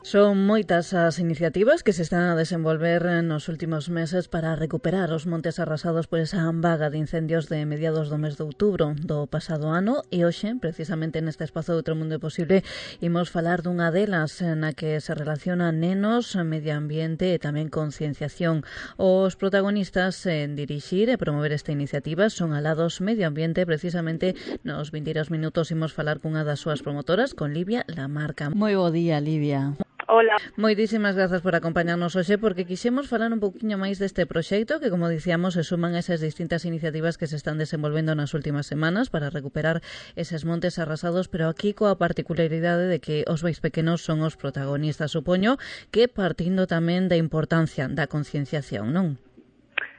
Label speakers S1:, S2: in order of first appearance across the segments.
S1: Son moitas as iniciativas que se están a desenvolver nos últimos meses para recuperar os montes arrasados por esa vaga de incendios de mediados do mes de outubro do pasado ano e hoxe, precisamente neste espazo de Outro Mundo Posible, imos falar dunha delas na que se relaciona nenos, medio ambiente e tamén concienciación. Os protagonistas en dirixir e promover esta iniciativa son Alados Medio Ambiente. Precisamente nos 22 minutos imos falar cunha das súas promotoras, con Livia Lamarca. Moi bo día, Livia.
S2: Hola.
S1: Moitísimas grazas por acompañarnos hoxe, porque quixemos falar un poquinho máis deste proxecto que, como dicíamos, se suman esas distintas iniciativas que se están desenvolvendo nas últimas semanas para recuperar eses montes arrasados, pero aquí coa particularidade de que os máis pequenos son os protagonistas. Supoño que partindo tamén da importancia da concienciación, non?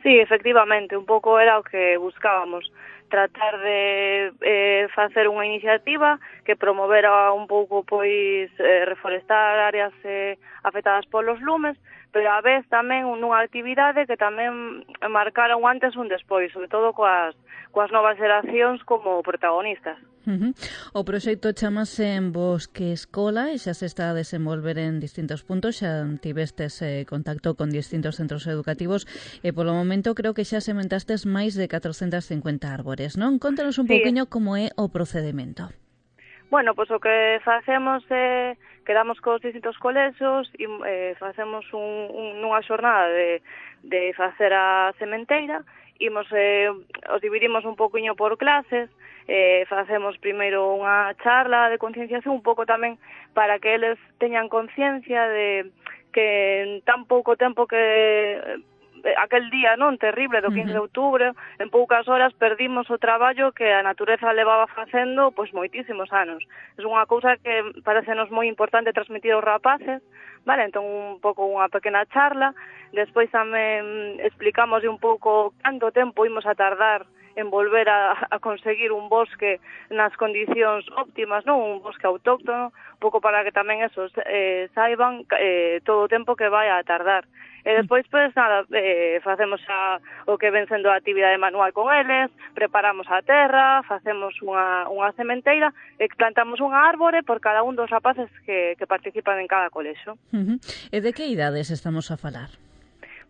S2: Sí, efectivamente, un pouco era o que buscábamos, tratar de facer unha iniciativa que promovera un pouco pois reforestar áreas afectadas polos lumes, pero a vez tamén nunha actividade que tamén marcara un antes e un despois, sobre todo coas novas xeracións como protagonistas.
S1: O proxecto chamase En Bosque Escola e xa se está a desenvolver en distintos puntos. Xa tivestes contacto con distintos centros educativos e polo momento creo que xa sementastes máis de 450 árbores, non? Contanos un pouquiño como é o procedemento.
S2: Bueno, pois o que facemos é quedamos cos distintos colexios e facemos nunha xornada de facer a sementeira. Os dividimos un poquinho por clases, facemos primeiro unha charla de concienciación, un pouco tamén para que eles teñan conciencia de que en tan pouco tempo que aquel día non terrible do 15 de outubro, en poucas horas perdimos o traballo que a natureza levaba facendo pois moitísimos anos. É unha cousa que parecenos moi importante transmitir aos rapaces, vale? Entón un pouco unha pequena charla, despois tamén explicamos un pouco canto tempo imos a tardar en volver a conseguir un bosque nas condicións óptimas, non? Un bosque autóctono, un pouco para que tamén esos saiban todo o tempo que vai a tardar. E despois, pois, nada, facemos o que ven sendo a actividade manual con eles, preparamos a terra, facemos unha sementeira e plantamos unha árbore por cada un dos rapaces que participan en cada colexo.
S1: E de que idades estamos a falar?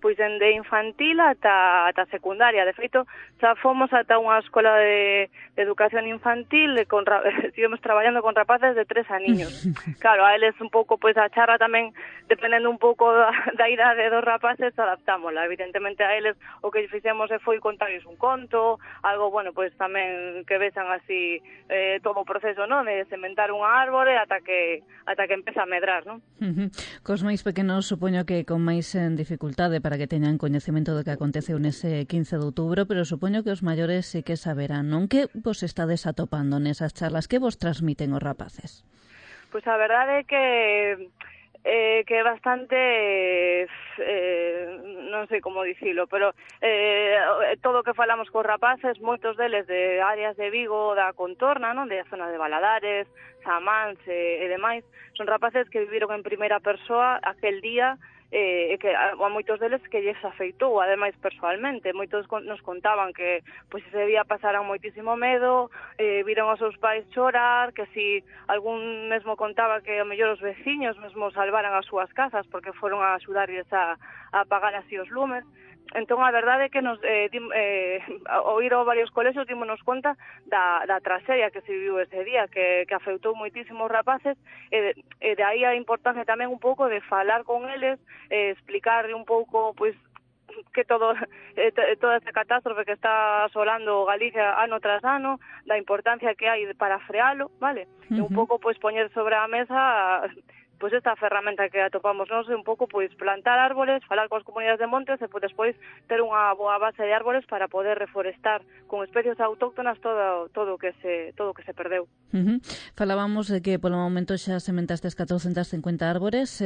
S2: Pois de infantil ata secundaria. De feito, xa fomos ata unha escola de educación infantil, estivemos traballando con rapaces de 3 aniños. Claro, a eles un pouco, pois a charla tamén, dependendo un pouco da idade dos rapaces, adaptámola. Evidentemente a eles o que fixemos foi contarles un conto, algo, bueno, pois tamén que vexan así todo o proceso, non? De sementar unha árbore ata que empeza a medrar, non?
S1: Cos máis pequenos supoño que con máis dificultade para que teñan coñecemento do que aconteceu nese 15 de outubro, pero supoño que os maiores sí que saberán, non? Que vos estades atopando nesas charlas? Que vos transmiten os rapaces?
S2: Pois a verdade é que é bastante, non sei como dicilo, pero todo o que falamos cos rapaces, moitos deles de áreas de Vigo, da contorna, non? De zona de Valadares, Samans e demais, son rapaces que viviron en primeira persoa aquel día e que a moitos deles que lles afeitou, ademais persoalmente. Moitos nos contaban que pois ese día pasaran moitísimo medo, viron aos seus pais chorar, que si algún mesmo contaba que a mellor os veciños mesmo salvaran as súas casas porque foron a axudarlles a apagar así os lumes. Entón, a verdade é que ao ir a varios colexios dímonos conta da traxedia que se viviu ese día, que afectou moitísimos rapaces, e de aí a importancia tamén un pouco de falar con eles, explicarle un pouco, pois, que toda esta catástrofe que está asolando Galicia ano tras ano, da importancia que hai para frealo, vale? E un pouco, pois, poñer sobre a mesa pois esta ferramenta que atopamos nós é un pouco pois plantar árbores, falar coas comunidades de montes e pois despois ter unha boa base de árbores para poder reforestar con especies autóctonas todo o que se perdeu.
S1: Falábamos de que polo momento xa sementastes 450 árbores,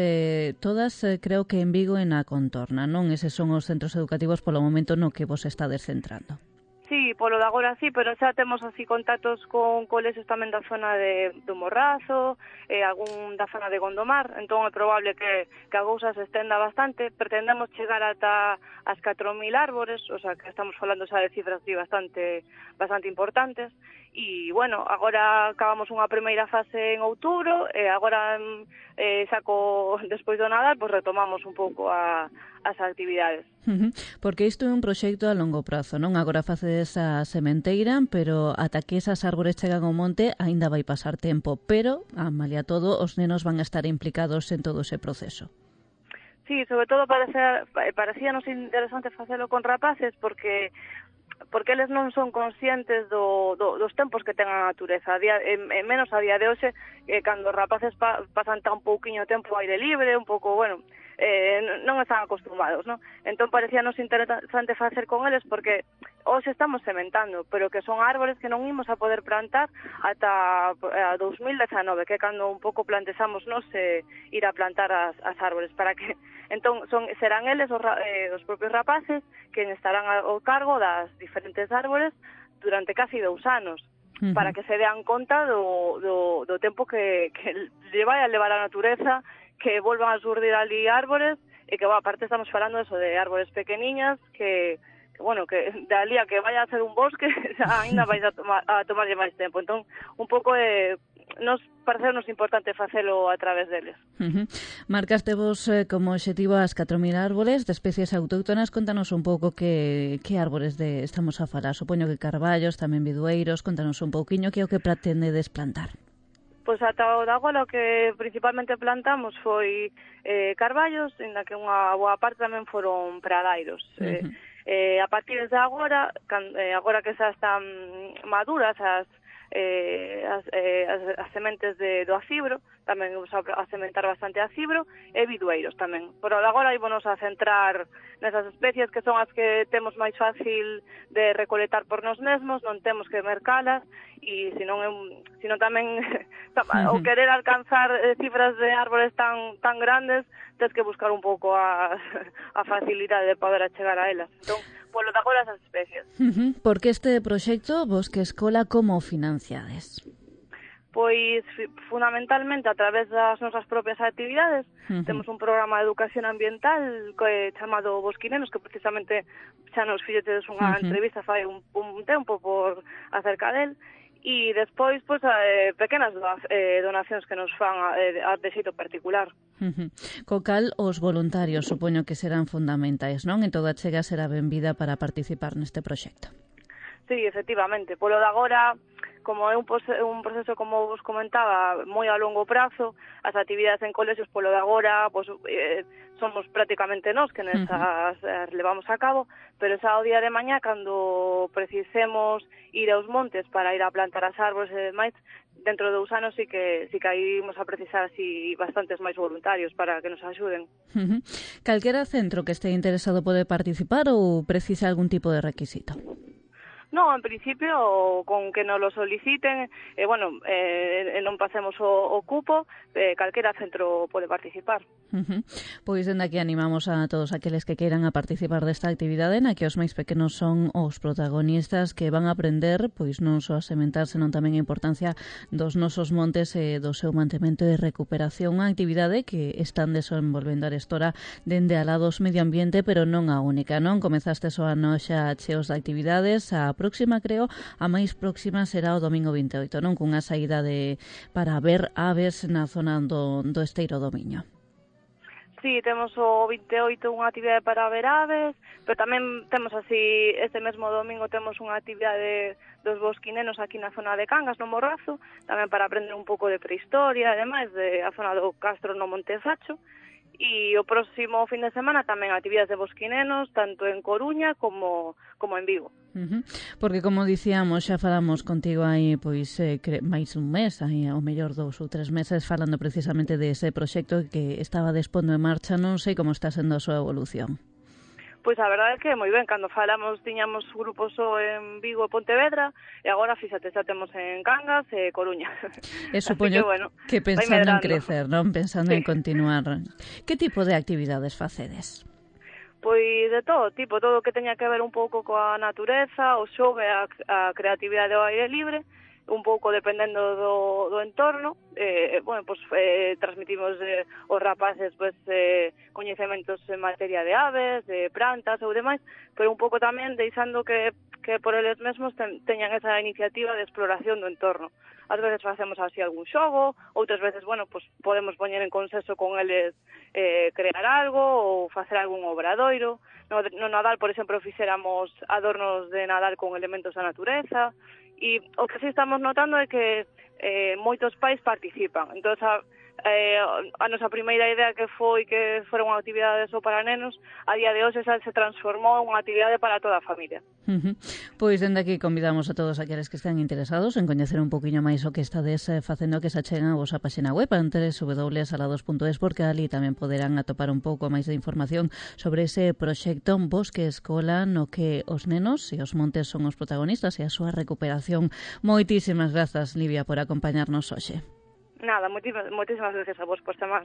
S1: todas creo que en Vigo e na contorna, non? Eses son os centros educativos polo momento no que vos estades centrando.
S2: Sí, Sí, polo de agora sí, pero xa temos así contactos con colexios tamén da zona do Morrazo, algún da zona de Gondomar, entón é probable que a cousa se estenda bastante. Pretendemos chegar ata as 4.000 árbores, o sea que estamos falando xa de cifras bastante importantes. E, bueno, agora acabamos unha primeira fase en outubro, e agora despois do Nadal, pois retomamos un pouco as actividades.
S1: Porque isto é un proxecto a longo prazo, non? Agora facedes a sementeira, pero ata que esas árbores chegan ao monte aínda vai pasar tempo, pero, a malia todo, os nenos van a estar implicados en todo ese proceso.
S2: Sí, sobre todo parecíanos interesante facelo con rapaces porque eles non son conscientes dos tempos que ten a natureza, menos a día de hoxe, cando os rapaces pasan tan pouquiño tempo ao aire libre, un pouco, bueno, non están acostumados, non? Entón parecíanos interesante facer con eles porque hoxe estamos sementando, pero que son árbores que non imos a poder plantar ata 2019, que é cando un pouco plantexamos ir a plantar as árbores, para que entón serán eles os propios rapaces que estarán ao cargo das diferentes árbores durante casi 2 anos, para que se dean conta do tempo que lle vai a levar a natureza, que volvan a surdir ali árbores, e que, aparte estamos falando de árbores pequeniñas, que bueno, que de ali a que vaya a ser un bosque, ainda vais a tomarlle máis tempo. Entón, un pouco nos parecenos importante facelo a través deles.
S1: Marcastevos como obxectivo as 4.000 árboles de especies autóctonas. Contanos un pouco que árbores estamos a falar. Supoño que carballos, tamén bidueiros. Contanos un pouquiño que é o que pretendedes plantar.
S2: Pois ata o de agora o que principalmente plantamos foi carballos, en que unha boa parte tamén foron pradairos. A partir de agora que xa están maduras as sementes do acibro, tamén vamos a sementar bastante acibro, e bidueiros tamén. Por agora ímonos a centrar nesas especies que son as que temos máis fácil de recolectar por nós mesmos, non temos que mercalas, e senón tamén o querer alcanzar cifras de árbores tan grandes, tens que buscar un pouco a facilidade de poder achegar a elas. Entón, polo de agora esas especies.
S1: Porque este proxecto, Bosque Escola, como financiades?
S2: Pois fundamentalmente a través das nosas propias actividades. Temos un programa de educación ambiental chamado Bosquinenos, que precisamente xa nos fixetes unha entrevista fai un tempo por acerca del, e despois pequenas donacións que nos fan de xeito particular.
S1: Co cal os voluntarios supoño que serán fundamentais, non? En toda chega será benvida para participar neste proxecto.
S2: Sí, efectivamente. Polo de agora, como é un proceso, como vos comentaba, moi a longo prazo, as actividades en colexios polo de agora somos prácticamente nós que nesas levamos a cabo, pero xa o día de mañá, cando precisemos ir aos montes para ir a plantar as árbores e demais, dentro de 2 anos sí que aí imos a precisar así bastantes máis voluntarios para que nos axuden.
S1: Calquera centro que este interesado pode participar ou precisa algún tipo de requisito?
S2: No, en principio, con que nos lo soliciten, non pasemos o cupo, calquera centro pode participar.
S1: Pois dende aquí animamos a todos aqueles que queiran a participar desta actividade, na que os máis pequenos son os protagonistas que van a aprender, pois non só a sementar, senón tamén a importancia dos nosos montes e do seu mantemento e recuperación, unha actividade que están desenvolvendo arestora dende alá dos medio ambiente, pero non a única, non? Comezastes o ano xa cheos de actividades, a próxima, creo, a máis próxima será o domingo 28, non? Cunha saída para ver aves na zona do Esteiro do Miño.
S2: Sí, temos o 28 unha actividade para ver aves, pero tamén temos así, este mesmo domingo temos unha actividade dos bosquinenos aquí na zona de Cangas, no Morrazo, tamén para aprender un pouco de prehistoria, ademais de a zona do Castro no Monte Sacho. E o próximo fin de semana tamén actividades de bosquinenos, tanto en Coruña como en Vigo.
S1: Porque, como dicíamos, xa falamos contigo aí máis un mes, aí ao mellor 2 ou 3 meses, falando precisamente de ese proxecto que estaba despondo en marcha. Non sei como está sendo a súa evolución.
S2: Pois a verdade é que moi ben, cando falamos tiñamos grupos só en Vigo e Pontevedra, e agora, fíxate, xa temos en Cangas e Coruña.
S1: E supoño que pensando en crecer, non? Pensando en continuar. Que tipo de actividades facedes?
S2: Pois de todo tipo, todo o que teña que ver un pouco coa natureza, o xogo e a creatividade ao aire libre, un pouco dependendo do entorno, transmitimos os rapaces coñecementos en materia de aves, de plantas ou demais, pero un pouco tamén deixando que por eles mesmos teñan esa iniciativa de exploración do entorno. Ás veces facemos así algún xogo, outras veces, podemos poñer en consenso con eles crear algo ou facer algún obradoiro. No Nadal, por exemplo, fixéramos adornos de Nadal con elementos da natureza, e o que sí estamos notando é que moitos pais participan. Entón, a nosa primeira idea que foi que fora unha actividade só para nenos, a día de hoxe xa se transformou en unha actividade para toda a familia.
S1: Pois dende aquí convidamos a todos aqueles que estén interesados en coñecer un poquinho máis o que estades facendo, que se acheguen a vosa página web www.salados.es, porque ali tamén poderán atopar un pouco máis de información sobre ese proxecto Bosque Escola, no que os nenos e os montes son os protagonistas e a súa recuperación. Moitísimas grazas, Livia, por acompañarnos hoxe.
S2: Nada, moitísimas gracias a vos por chamar.